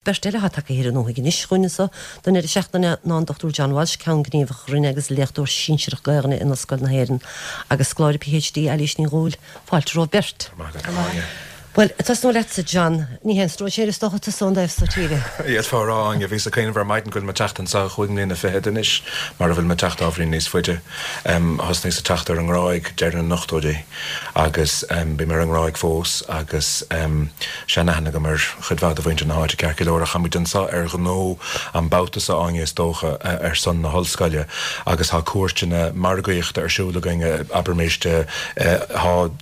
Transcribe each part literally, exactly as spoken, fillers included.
Beirt eile atá tagtha thiar ón nDúthaigh anois chugainn anseo don deireadh seachtaine ná an Dochtúir John Walsh, Ceann Gníomhach Roinne agus léachtóir sinsearach Gaelainne in Ollscoil na hÉireann agus scoláire P H D Eilís Ní Dhúill. Fáilte romhaibh beirt. Well, tosnú leatsa, John, ní haon stróinséir is dócha tusa ón dtaobh so tíre. D'fhéadfá a rá, Áine, bhíos ag cuimhneamh ar maidin go bhfuil mé ag teacht anseo chúig mbliana fichead anois, mar a bhfuil mé ag teacht ábhairín níos faide. Thosnaíos ag teacht ar an nGráig deireadh na n-ochtóidí agus bím ar an nGráig fós agus seanaithne agam ar chuid mhaith de mhuintir na háite ceart go leor. Ach táimid anseo ar ghnó an babhta seo, Áine, is dócha, ar son na hollscoile agus tá cuairteanna margaíochta ar siúl againn, abraimis, tá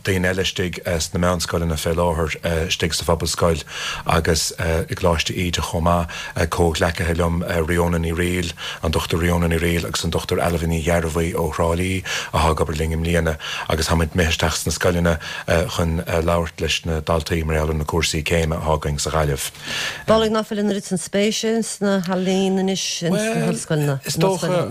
daoine eile istigh sna meánscoileanna fé láthair, istigh sa Phobalscoil agus i gColáiste Íde chomh maith, comhghleacaithe liom, Ríona Ní Fhrighil, an Dochtúir Ríona Ní Fhrighil agus an Dochtúir Ailbhe Ní Ghearbhuigh ó Thrá Lí atá ag obair linn i mbliana agus táimid imithe isteach sna scoileanna chun labhairt leis na daltaí mar gheall ar na cúrsaí céime atá againn sa Ghaillimh. Amhlaidh ná fuil an oiread san spéise sna healaíona anois ins na hollscoileanna, Is dócha,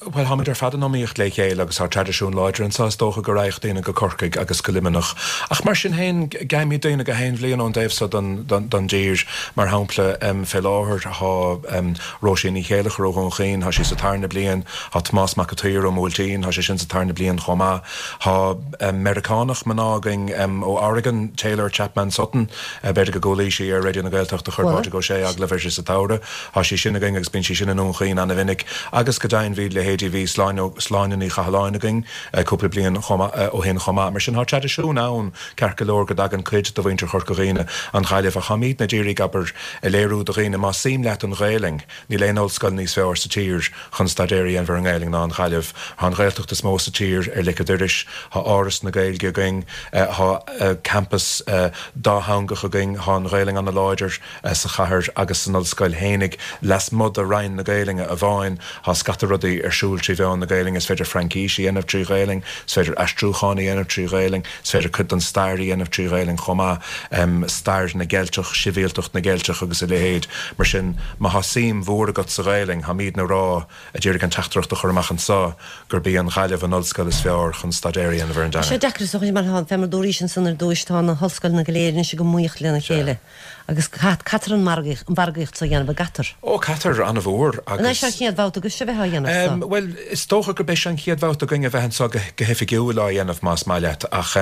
bhuel, táimid ar fad in iomaíocht le chéile agus tá traidisiún láidir anseo, is dócha go raghadh daoine go Corcaigh agus go Luimneach ach mar sin féin gheibhimid daoine gach aon bhliain ón dtaobh so den den dtír. Mar shampla, fé láthair tá Róisín Ní Chéileachair ó Dhún Chaoin, tá sí sa tarna bliain, tá Tomás Mac an tSaoir ó Bhuailtín, tá sé sin sa tarna bliain chomh maith. Tá Meiriceánach mná againn ó Oregon, Taylor Chapman Sutton, b'fhéidir go gcualaís í ar Raidió na Gaeltachta, chuir Pádraig Ó Sé agallamh uirthi sa tsamhradh. Tá sí sin againn agus bíonn sí sin i nDún Chaoin an-mhinic. Agus go deimhin bhí leithéidí, bhí Sláine Ní Chathalláin againn cúpla bliain ó shin chomh maith. Mar sin tá traidisiún ann ceart go leor go dtagann cuid de mhuintir Chorca Dhuibhne an Ghaillimh ach táimidne ag iarraidh, abair, a léiriú do dhaoine más suim leat an Ghaelainn, níl aon ollscoil níos fearr sa tír chun staidéar a dhéanamh ar an nGaelainn ná an Ghaillimh. Tá an Ghaeltacht is mó sa tír ar lic an dorais, tá Áras na Gaeilge againn, tá campas dátheangach againn, tá an Ghaelainn ana-láidir sa chathair agus san ollscoil fhéinig. Lasmuigh de Roinn na Gaelainne amháin, tá scata rudaí ar siúl trí mheán na Gaelainne, is féidir Fraincís a dhéanamh trí Ghaelainn, is féidir aistriúchán a dhéanamh trí Ghaelainn, is féidir cuid den stair a dhéanamh trí Ghaelainn chomh maith, stair na gCeilteach, sibhialtacht na gCeilteach agus a leithéid. Mar sin, má tá suim mhór agat sa Ghaelainn, táimidne ag rá, ag iarraidh an teachtaireacht a chur amach anseo, gurb í an Ghaillimh an ollscoil is fearr chun staidéar a dhéanamh ar an Tá sé dteanga. deacair is dócha mar fé mar dúraís ansan ar dtúis, tá na hollscoileanna go léir anois ag iomaíocht lena chéile agus caithfear an mhargaíocht so a dhéanamh, an gcaithfear? Ó, caithfear an-mhór An é seo an agus. chéad bhabhta agaibhse a bheith á dhéanamh so? Bhuel, is dócha gurb é seo an chéad bhabhta againn a bheith anseo go hoifigiúil á dhéanamh, más maith leat, ach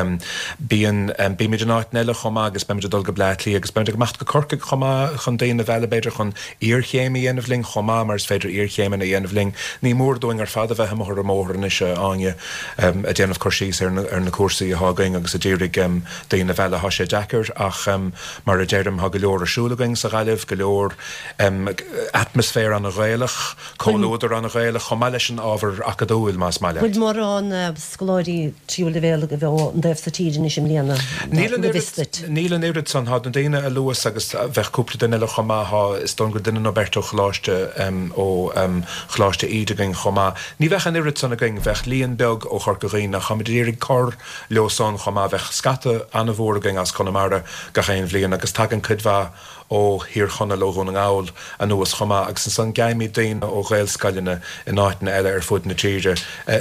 bíonn, bímid in áiteanna eile chomh maith agus beimid ag dul go Bleá Cliath agus beimid ag imeacht go Corcaigh chomh maith chun daoine a mhealladh b'fhéidir chun iarchéim a dhéanamh linn chomh maith mar is féidir iarchéimeanna a dhéanamh linn. Ní mór dúinn ar fad a bheith amuigh ar an mbóthar anois, a Áine, ag déanamh cur síos ar na, ar na cúrsaí atá againn agus ag iarraidh daoine a mhealladh. Tá sé deacair ach mar a deirim, tá go leor ar siúl againn sa Ghaillimh, go leor atmaisféar ana-Ghaelach, comhluadar ana-Ghaelach, chomh maith leis an ábhar acadúil, más maith Bhfuil leat. mórán scoláirí tríú leibhéal a bheith ón dtaobh so tíre anois i mbliana, Níl an go oiread, bhfios duit? níl an oiread san. Tá na daoine a luas agus bheadh cúpla duine eile chomh maith. Tá, is dóigh go bhfuil duine nó beirt ó Choláiste, ó Choláiste Íde againn chomh maith. Ní bheadh an oiread san againn. Bheadh líon beag ó Chorca Dhuibhne ach táimid ag iarraidh cur leo san chomh maith. Bheadh scata an-mhór againn as Conamara gach aon bhliain agus tagann cuid mhaith ó Thír Chonaill, ó Dhún na nGall anuas chomh maith agus ansan gheibhimid daoine ó Ghaelscoileanna in áiteanna eile ar fud na tíre,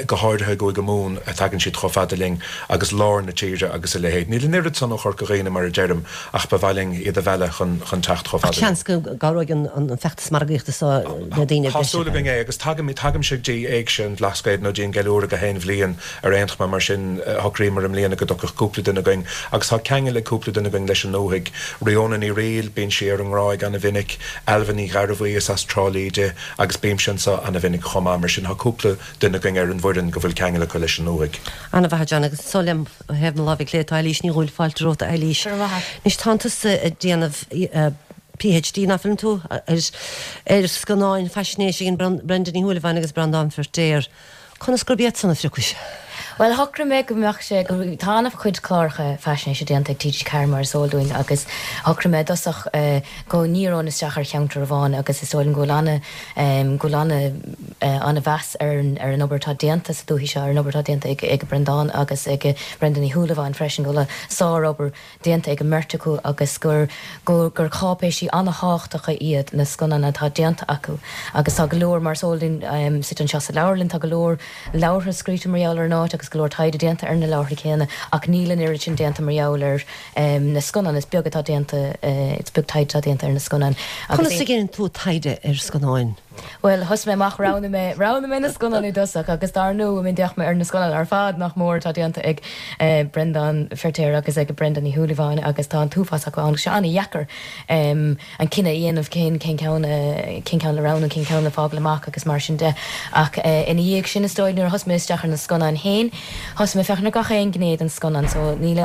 go háirithe i gCúige Mumhan, tagann siad chomh fada linn agus lár na tíre agus a leithéid. Níl an oiread san ó Chorca Dhuibhne mar a deirim ach ba mhaith linn iad a mhealladh chun chun teacht chomh Ach fada linn. seans go gcabhróidh an feachtas margaíochta seo le daoine Tá breise súil againn é agus tagaimid, tagaimse go dtí Éigse an Bhlascaoid nó dtí an gceiliúradh gach aon bhliain ar aon chuma, mar sin shocraíomar i mbliana go dtiocfadh cúpla duine againn agus tá ceangal ag cúpla duine againn leis an nDúthaigh. Ríona Ní Fhrighil, bíonn sí ar an nGráig ana-mhinic, Ailbhe Ní Ghearbhuigh, is as Trá Lí di agus bímse anseo ana-mhinic chomh maith, mar sin tá cúpla duine againn ar an bhfoireann go bhfuil ceangal acu leis an nDúthaigh. Ana-mhaith, a John, agus anso lem thaobh na láimhe clé tá Eilís Ní Dhúill, fáilte romhat a Eilís. Go raibh maith agat. Anois tánn tusa ag déanamh P H D, ná fuileann tú, ar ar scannáin faisnéise a dhein Brenda Ní Shúilleabháin agus Breandán Feirtéar. Conas gurb iad san a phriocais? Bhuel, shocraigh mé go mbeadh sé, go, tá an-chuid cláracha faisnéise déanta ag T G Ceathair mar is eol dúinn agus shocraigh mé i dtosach go ndíreoinn isteach ar cheantar amháin agus is dóigh liom go bhfuil ana, go bhfuil ana, ana-mheas ar an, ar an obair atá déanta sa dúiche seo, ar an obair atá déanta ag, ag Breandán agus ag Brenda Ní Shúilleabháin freisin, go bhfuil sárobair déanta ag an mbeirt acu agus gur gur cáipéisí an-thábhachtacha iad na scannáin atá déanta acu agus tá go leor, mar is eol dúinn, suite anseo sa leabharlann, tá go leor leabhartha scríte mar gheall ar an áit agus agus go leor taighde déanta ar na leabhartha céanna ach níl an oiread sin déanta mar gheall ar na scannáin, is beag atá déanta, is beag taighde atá déanta ar na scannáin. Conas a dhéanann tú taighde ar scannáin? Bhuel, thosaigh mé amach, roghnaigh mé, roghnaigh mé na scannáin i dtosach agus dar ndóigh, I mean, d'fhéach mé ar na scannáin ar fad nach mór atá déanta ag Breandán Feirtéar agus ag Brenda Ní Shúilleabháin agus tá an t-uafás acu ann agus sé an-dheacair an cinneadh a dhéanamh cén, cén ceann, cén ceann le roghnú, cén ceann le fágáil amach agus mar sin de. Ach ina dhiaidh sin, is dóigh, nuair a thosaigh mé isteach ar na scannáin féin, thosaigh mé féachaint ar gach aon ghné den scannán so níl,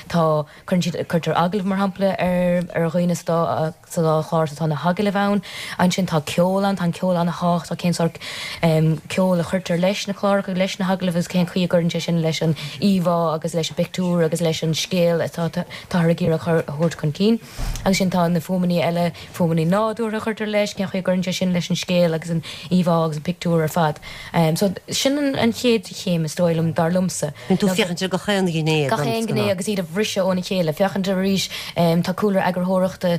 tá, cuireann siad, cuirtear agallamh mar shampla ar, ar dhaoine sa dá, sa dá chlár so tá na hagallaimh ann. Ansin tá ceol ann, tá an ceol an-tábhachtach, cén sórt ceoil a chuirtear leis na cláracha, leis na hagallaimh agus cén chaoi a gcuireann sé sin leis an íomhá agus leis an bpictiúr agus leis an scéal atá táthar ag iarraidh a thabhairt chun cinn. Agus ansin tá na fuaimeanna eile, fuaimeanna nádúrtha a chuirtear leis, cén chaoi a gcuireann sé sin leis an scéal agus an íomhá agus an pictiúr ar fad. So sin an chéad chéim is dóigh liom, dar liomsa. Bíonn tú ag féachaint ar gach aon ghné den Gach aon ghné agus iad a bhriseadh óna chéile. Féachaint ar arís, tá cúlra eagarthóireachta,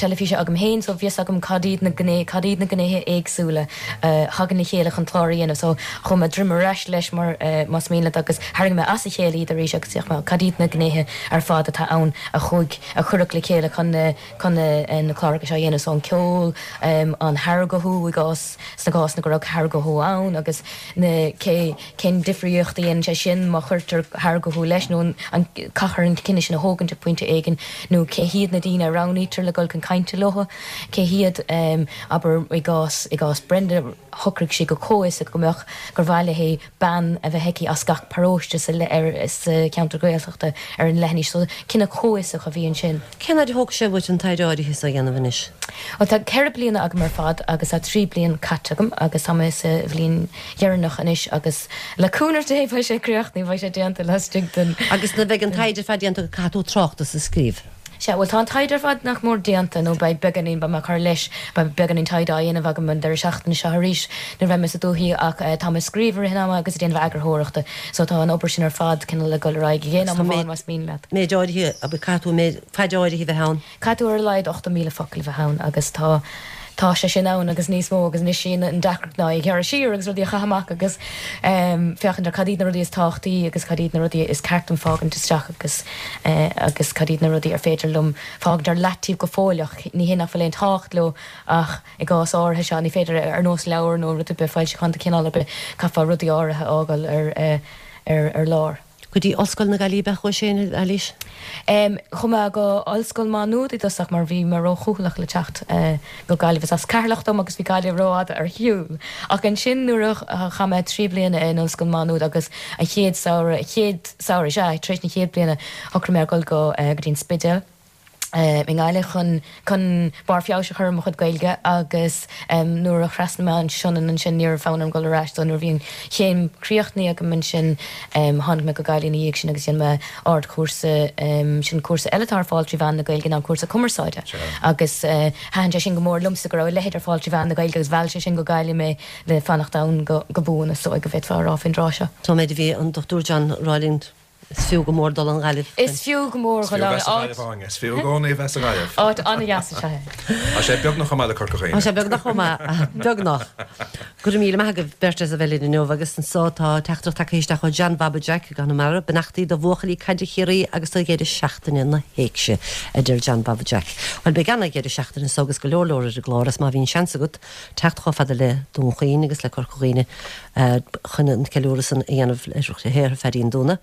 teilifíse agam féin so bhí fhios agam cad iad na gné, cad iad na gnéithe éagsúla a thagann le chéile chun clár a dhéanamh so chuaigh mé droim ar ais leis mar más mian leat agus tharraing mé as a chéile iad arís agus d'fhéach mé cad iad na gnéithe ar fad atá ann a chuaigh, a cuireadh le chéile chun na, chun na, na cláracha seo a dhéanamh so an ceol, an harghuthú i gcás, sna cásanna go raibh harghuthú ann agus na, cé, cén difríocht a dhéanann sé sin má chuirtear harghuthú leis nó an, an, caithfear an cinneadh sin a thógaint ag pointe éigin nó cé hiad na daoine a roghnaítear le dul chun cainte leo, cé hiad, abair, i gcás, i gcás Brenda, shocraigh sí go comhfhiosach go mbeadh, gur mhaith léi bean a bheith aici as gach paróiste sa, ar, sa cheantar Gaeltachta ar an leithinis. So, cinneadh comhfhiosach a bhí ansin. Cén fhad a thóg sé uait an taighde áirithe so a dhéanamh anois? Bhuel, tá ceithre bliana agam ar fad agus tá trí bliana caite agam agus tá mé sa bhliain dheireanach anois agus le cúnamh Dé beidh sé críochnaithe, beidh sé déanta laistigh den. Agus nuair a bheidh an taighde ar fad déanta agat caithfidh tú tráchtas a scríobh. Sea, bhuel tá an taighde ar fad nach mór déanta, nó beidh beagáinín, beidh mé ag cur leis, beidh beagáinín taighde á dhéanamh agam an deireadh seachtaine seo arís nuair a bheidh mé sa dúthaigh ach tá mé ag scríobh i rith an ama agus ag déanamh eagarthóireachta so tá an obair sin ar fad cineál ag dul ar aghaidh ag aon am amháin más mian leat. Méid áirithe, abair, caithfidh tú méid, faid áirithe a bheith ann. Caithfidh tú ar a laghad ochtó míle focal a bheith ann agus tá Tá sé sin ann agus níos mó agus anois í an deacracht ná é a ghearradh siar agus rudaí a chaitheamh amach agus féachaint ar cad iad na rudaí is tábhachtaí agus cad iad na rudaí is ceart dom fágaint isteach agus agus cad iad na rudaí ar féidir liom fágaint ar leataobh go fóill ach ní hé nach bhfuil aon tábhacht leo ach i gcás áirithe seo ní féidir ar nós leabhar nó rud ar bith foilseachán de chineál ar bith caithfeá rudaí áirithe a fhágáil ar ar ar lár. Go dtí Ollscoil na Gaillimhe ab ea chuais féin, Eilís? Chuaigh mé go Ollscoil Má Nuad i dtosach mar bhí mé ró-chúthaileach le teacht go Gaillimh. Is as Ceatharlach dom agus bhí Gaillimh rófhada ar shiúl. Ach ansin nuair a chaith mé trí bliana in Ollscoil Má Nuad agus an chéad samhradh, chéad samhradh, sea, tar éis na chéad bliana shocraigh mé ar dhul go dtí an Spidéal. i nGaillimh chun chun barr feabhais a chur ar mo chuid Gaeilge agus nuair a thrasnaigh mé an Sionainn ansin ní raibh fonn orm dul ar ais so nuair a bhí an chéim críochnaithe agam ansin tháinig mé go Gaillimh ina dhiaidh sin agus dhein mé ardchúrsa sin cúrsa eile atá ar fáil trí mheán na Gaeilge ná an cúrsa cumarsáide agus thaitin sé sin go mór liomsa go raibh a leithéid ar fáil trí mheán na Gaeilge agus mheall sé sin go Gaillimh mé le fanacht ann go buan is dóigh go bhféadfá a rá faoin dtráth seo. Tá méid a bhí an Dochtúir John a rá linn. Is fiú go mór dul an Ghaillimh. Is fiú go mór dhul ann. Is fiú a bheith sa Ghaillimh, Áine. Is fiú i gcónaí a bheith sa Ghaillimh. Áit an-dheas is ea é. Tá sé beagnach chomh maith le Corca Dhuibhne. Tá sé beagnach chomh maith. Beagnach. Go raibh míle maith agaibh beirt as a bheith linn inniu agus anso tá teachtaireacht tagtha isteach ó John Bhaba Jack i gConamara, Beannachtaí do bhuachaillí caide Chiarraí agus do dheireadh seachtaine na hÉigse, a deir John Bhaba Jack. Bhuel, beidh ana-dheireadh seachtaine anso agus go leor leor ar an gclár is má bhíonn seans agat teacht chomh fada le Dún Chaoin agus le Corca Dhuibhne chun an ceiliúradh san a dhéanamh le Shaothar Phaidí an Dúna.